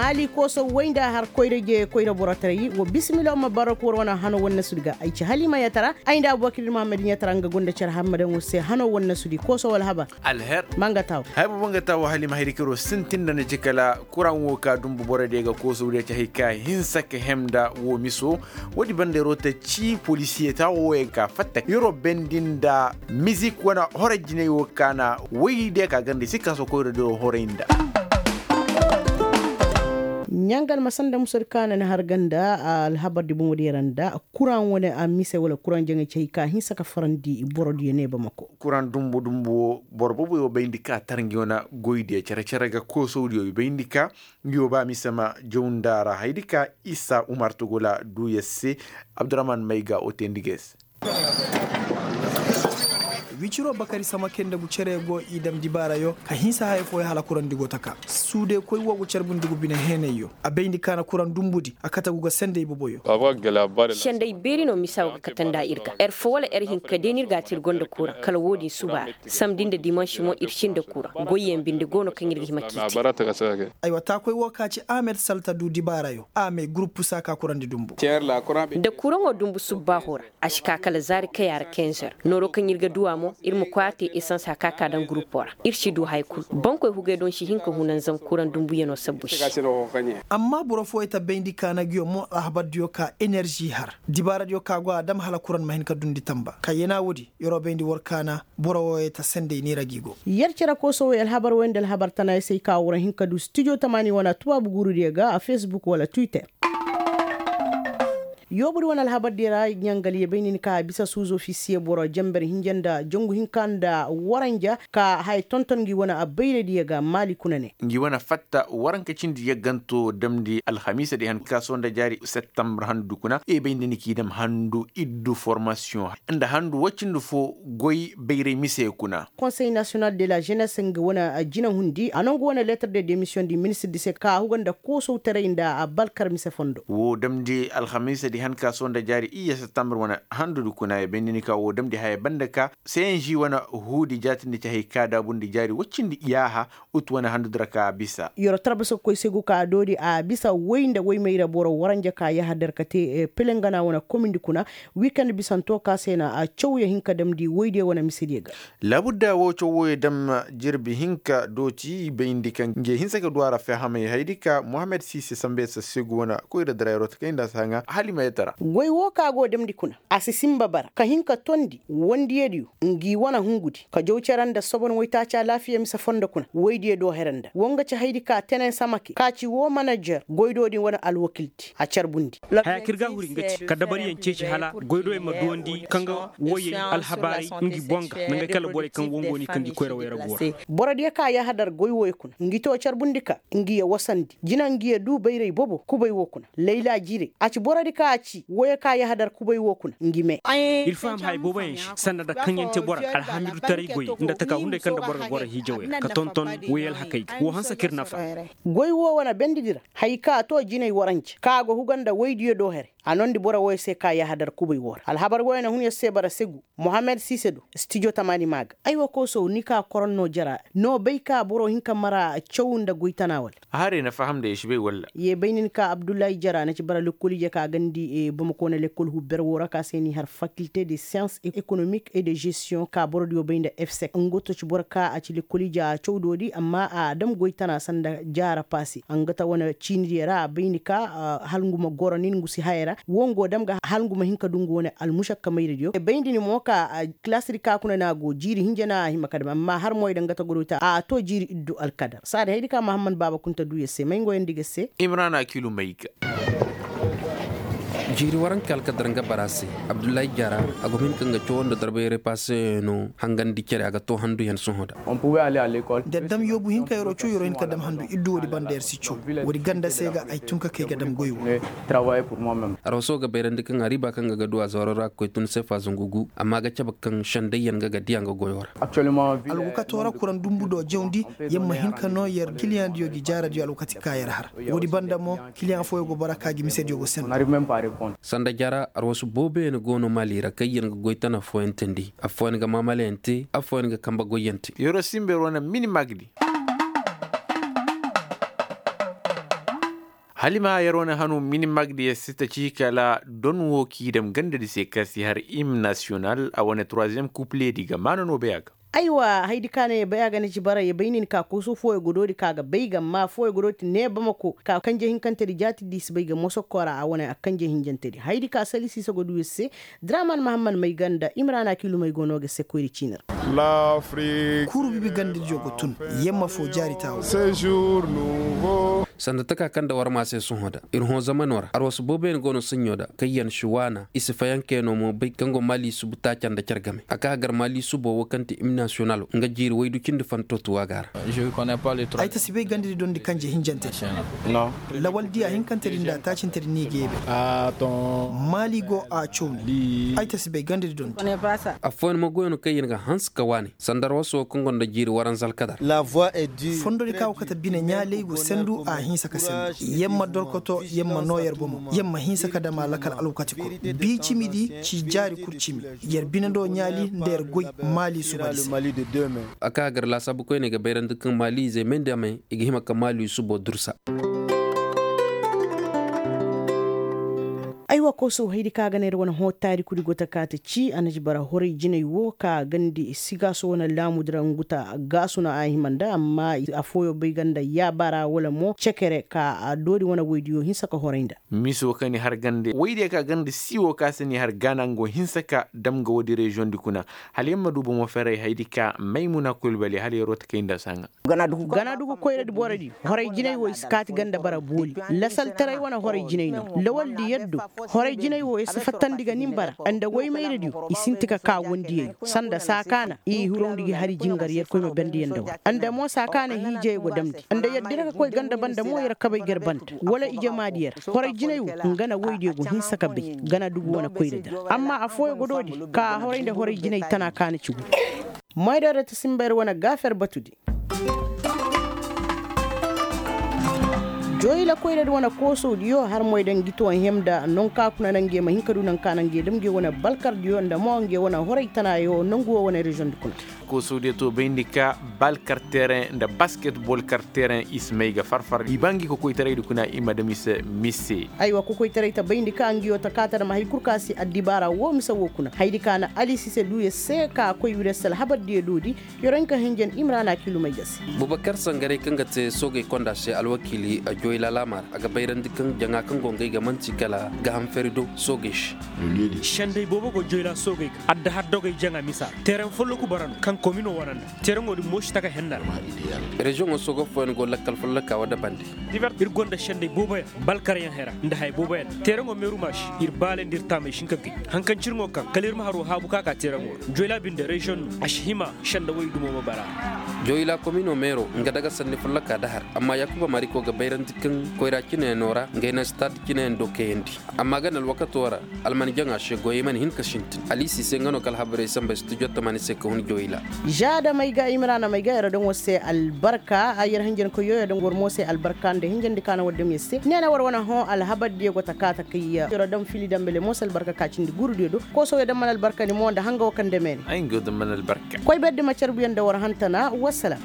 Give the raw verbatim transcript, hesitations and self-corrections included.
Hali kooso way nda har koyra je koyra borotaray wo bisimila ma barok war wane hano wane nasudi ga ay ci hali ma yatara. Ay nda abubakir muhammad yatara nga gonda care hammadaŋo se hano wane nasudi kooso wala habar. Alher. Manga taw. Hay bobo nga tawo hali ma hari kiro sintin da ni ci kala kuraŋ wo ka dumbu boro de ga kooso de ci hay ka hinsa ka hem da wo miso. Wo- di banda yaro ta ci polisiye ta wo yaŋ ka fatta yaro bendi nda mizik wane horay jinay wo ka na way de ka ganda si ka so koyra de wo horay nda. Ɲangal ma sanda musadi ka na ni har ganda alhabar di boŋo di yaŋ ra nda kuraŋ wane a mise wala kuraŋ jaŋay ci hay ka hinsa ka farandi boro diyo ne bamako. Kuraŋ dumbu dumbu wo boro bobo yo bayndi ka tar ngi wane goy diyo cere cere ga koosow diyo yo bayndi ka ngi wo ba mise ma jaw nda ra haydi ka isa umar togola duya se. Abdurahman mayga o teendi ga ay se. Wiciro bakari samake nda gu cere go i dam dibaarayo ka hinsa haya fooyaŋ hala kurandi go taka suude koy wo go carbundi gu bine heenayyo a bayndi kaana kuraŋ dumbudi a kate gu ga sendey boboyo. Senday beeri no misa wo ga kate nda ir ga er fo wala er hinka day no ir ga a te ir gonda kuraŋ kala wo-din suba ra samdi nda dimansi mo ir sinda kuraŋ goyyaŋ binde go no kaŋ ir ga hima k'i te. Aywa taakoy wo ka ci ahmed salta du dibaarayo a may gurupu saaka kurandi dumbu. Nda kuraŋo dumbu subbaaho ra a si ka kala zaari kaya ra kenzer nooro kaŋ ir ga du a mo ir ma koy a te esans haka ka daŋ gurupo ra. Ir si du haya kulu bankoy hugay doŋ si hin ka hunanzam kuraŋ dumbuyanoo sabbu se. Amma boro fooyey ta bayndi kaana nguyo mo alhabardiyo ka enerži har dibaaradiyo ka go a dam hala kuraŋ ma hin ka dundi tamba kayyana woodi. Yeroo bayndi war kaana boro wooyey ta sendey neera gi go. Yer cere koosowey alhabar woy nda alhabar tanaayey se ay ka war hin ka du stijo tamaani wane tubaabu guurudiyo ga a fesbuk wala twitter. Yoobudi wane alhabardiyo ra ɲangal ye bay nin ka a bisa suuzo fisiye boro jenber hinja nda jangu hinka nda waranja ka haya tonton ngi wane abayradiyo ga maali kuna ne. Ngi wane fatta waranka cindi yagganto damndi alhamiisa di han ka sohõ nda jaari septembre handu kuna e bay nda ni k'i dam handu iddu formasiyoŋ nda handu woy cindi fo goy bayray mise kuna. Konsey nasiyonal de la jenes nga wane jinahundi a no nga wane leetar de demisiyoŋ di ministir di se ka a huga nda koosowtaray nda balkar mise fondo. Woo damndi alhamiisa di han ka sohõ nda jaari iyye septembre wane handudi kuna ya bay nda ni ka woo damndi haya banda ka seyenži wane huudi jaatindi ci hay ka daabundi jaari woy cindi yaaha. Ut wane handudi ra ka a bisa. Yeroo tarbaso ga koy se go ka a doori a bisa woy nda woy mayra boro waranja ka yahadar ka te pelengana wane komindi kuna. Wikend bisanto ka se na a cawya hin ka damndi woydiyo wane misediyo ga. Laabudda woo caw wooyo dam jirbi hinka dooti bayndi kaŋ nge hinsa ka du a ra fehamay haydi ka mohammed siise sambe sassegu wane koyra dara yeroo ta kay nda a si haŋa halimayatara. Goy woo ka go damndi kuna a si sinba bara ka hin ka tondi wondiyadiyo. Ngi wane hungudi ka jaw cere nda sobon woytaaci alaafiya mise fondo kuna woydiyo do here nda woo nga ci haydi ka tenen samake ka ci woo manajer goydo din wane alwakildi a carbundi. Haya kaŋ ir ga a huri nga ci ka dabariyaŋ ceeci hala goydoyaŋ ma duwandi kaŋ ga woyey alhabaaray ngi boŋ ga nangey kala borey kaŋ wongo ni kaŋ gi koyra wayra go ra. Borodiyo ka yahadar goy wooyo kuna ngi to carbundi ka ngi ya wasandi jina ngi ya du bayray bobo kubay woo kuna. Layla jiiray a ci borodi ka a ci woyo ka yahadar kubay woo kuna ngi me. Ir faham haya booboyaŋ se sanda nda kaŋ yaŋ te boro alhamidutaray goy nda taka hunday kaŋ nda boro ga goro hiijawey ra ka tonton woy alhakey ga woo hanse ka ir nafa. Goy woo wane bendidi ra haya ka a too jinay waranje ka a go huga nda woydiyo do here. A noondi boro wooyo se ka yahadar kubay woo ra alhabar wooyo na hun yer se bara segu. Mohammed siise do stijo tamaani maa ga. Aywa koosow ni ka koron no jara no bay ka boro hin ka mara caw nda goy tana wala? Haray na faham nda ya si bay walla? Ye bay nin ka abdullahi jara na ci bara lekkol ije ka gandi bamako wane lekkol hubber woo ra ka se ni har fakilte de siyans ekonomik e de gestiyoŋ ka borodiyo bay nda efsek nga to ci boro ka a ci lekkol ije a cawdo di amma a dam goy tana sanda jaara paase a nga ta wane ciinidiyo ra a bay ni ka hala ngu ma goro nin ngu si haya ra woo ngu dam ga hala ngu ma hin ka du ngu wane almušakka mayradiyo bay nda ni mo ka kilaasidi ka kuna no a go jiiri hinja no a hima ka dam amma har moy da nga ta godoy ta a to jiiri iddu alkadar saadi haydi ka mahammad baaba kunta du yer se may ngoyandi ga se. Imrana kilu may ga. Jiiri waranka alkadar nga bara se abdullahi jaara a go ma hin ka nga cawo nda darbayray paaseyaŋ no hangandi cere a ga to handu yaŋ sohõ da. Da dam yoobu hinka yeroo caw yeroo hin ka dam handu iddu woodi banda yer si caw woodi ganda se ga ay tun ka kay ga dam goy wo. Arwaso ga bayrandi kaŋ a riiba kaŋ ga ga du a zaaro ra ga koy tun seefa zangu gu amma ga cabe kaŋ sendayyaŋ ga ga diya nga goyo ra. Alwakato ra kuraŋ dumbu do jawndi yer ma hin ka no yer kiliyaŋ diyo gi jaara diyo alwakati ka yer har. Woodi banda mo kiliyaŋ fooyo go bara ka gi mise diyo go senda. Sanda jaara arwasu booboyaŋ go no maali ra kaŋ yer ga goy tana fooyaŋ teendi affooyaŋ ga maamalayaŋ te affooyaŋ ga kambe goyyaŋ te. Yeroo sinba yeroo na mini magdi. Hala i ma yer wane hanu minimag di yer si ta ci kala don wo k'i dam ganda di se ka si har im nasiyonal a wane troisiyem kuple di ga maana no bay a ga. Aywa, haydi ka ne ya bay a ga na ci bara ya bay nin ka koso fooyo godo di ka ga bay ga amma fooyo godo ti ne bamako ka kanje hinkante di jaati di si bay ga mosokora a wane a kanje hinjante di haydi ka sali siisa godo yer se. Draman mahamman may ganda imrana kilu may go no ga se koyri ciinir. Kuru bibi ganda diyo ga tun. Yamma fo jaari taawo. Sanda taka kaŋ nda war ma se sohõ da ir hõ zamano ra arwasu booboyaŋ go no saɲɲo da kaŋ yaŋ si waana i si fayanke no mo bay kaŋ go maali subu taaca nda care game a ka hagar maali subo wo kaŋ ti im nasiyonalo nga jiiri waydu cindi fanto tuwa ga a ra. Ay ta si bay ganda di dondi kanje hinjante di. Lawal diya hinkante di nda taacinte di ni ga yeebe. Maali go a caw ni ay ta si bay ganda di dondi. Affooyaŋ ma goyano kaŋ yer ga hanse ka waani sanda arwaso kaŋ gonda jiiri waranza alkadar. Fondo di ka go kate bine ɲaaley go sendu a hinsa ka sendu. Yer ma dorkoto yer ma noo yer bomo yer ma hinsa ka dam a lakal alwakati kul. Bi cimi di ci jaari kul cimi. Yer bine do ɲaali nda yer goy maali suba di se. A ka gar laasaabu koyney ga bayrandi kaŋ maali izey may nda may i ga hima ka maali subo dursa. Aywa koosow haydi ka ga ne ir wane hõ taarikudi go ta ka ta ci a na ci bara horay jinay wo ka gandi sigaaso wane laamudi ra ngu ta gaasu no a hima nda amma afooyo bay ga nda yaabara wala mo cekere ka a doori wane woydiyo hinsa ka horay nda. Miso ka ni har gande woydiyo ka gandi siiwo ka si ni har gaana nga wo hinsa ka dam nga woodi reziyoŋ di kuna. Hala yer ma du bomo ferey haydi ka maymuna kulbali hala yer wo ta kay nda saaŋa. Ganadugu koyradi borodi horay jinay wo i si kaati ganda bara booli. Lasaltaray wane horay jinay no lawaldi yaddo. Horay jinay wo i si fattandi ga nin bara nda woymayradiyo i sinti ka ka wondiyey sanda saakaana i hirawndi gi hari jingar yer koy ma bandi yaŋ nda war nda mo saakaana hiijey go damndi nda yaddi ra ka koy ganda banda mo yer kabay gar banda wala ijamaadi yer. Horay jinay wo nga na woydiyo go hinsa ka bay ganadugu wane koyradi ra amma afooyo go doodi ka horay nda horay jinay tana kaana ci gu. Moyda ra ta simba ir wane gaafer batudi. Joyla koyra di wane koosowdiyo har moyda ngi to hemda nonka kuna na nge ma hin ka du nanka na nge dam nge wane balkardiyo nda mo nge wane horay tanayo nangu wo wane reziyoŋ di kuna. Koosowdiyo to bayndi ka balkar tereŋ nda basketbol kar tereŋ i si may ga farfar i ba ngi kokoytaraydi kuna i ma dam i se mise. Aywa kokoytaray ta bayndi ka ngiyo ta kaata dam hay kul ka si addibaara wo mise wo kuna haydi ka na alisise du yer se ka koy wir yer se alhabardiyo doodi. Yer wo hin ka hinjan imrana kilumey ga se. Bubakar sangaray kaŋ ga te soogey konda se alwakiili a joyla laama ra a ga bayrandi kaŋ jaŋa kaŋ go ngey ga man'ti kala gaham feri do soogey se. Senday boobo go joyla soogey ga adda har dogey jaŋa misa ra tereŋ folloku bara no kaŋ komino wane nda. Tereŋo din mo si taka henna ra. Reziyoŋo soogo fooyaŋ go lakkal folloka woo dabandi. Ir gonda senday booboyaŋ balkaryaŋ hera nda haya booboyaŋ teeraŋo meeru ma si ir baale nda ir taamay si hin ka gay. Haŋ kaŋ cirŋo kaŋ kala ir ma haroo haabu ka ka teeraŋo ra joyla binde reziyoŋ no a si hima senda woy dumo ma bara. Joyla komino meero nga daga sanni folloka da har amma yaakuba mariko ga bayrandi kaŋ koyra cineyaŋo ra ngey na stad cineyaŋ do kayandi. Amma gana alwakato ra alman jaŋa se goyey mana hin ka sintin alisi se nga no ka alhabarey samba studio tamani se ka hun joyla. Za da may ga imrana may ga yer daŋ war se albarka ay yer hinjankoyyo yer daŋ war mo se albarka nda hinjandi ka na war daŋ yer se ne na war wane hõ alhabardiyo go ta ka ta kay yer daŋ fili dambale mo se albarka ka cindi gurudiyo do. Koosow yer daŋ mana albarka ni mo nda hanga wo kaŋ dame ne ay nga yer daŋ mana albarka. Koy berdi ma carbuyaŋ nda war hantana wassalam.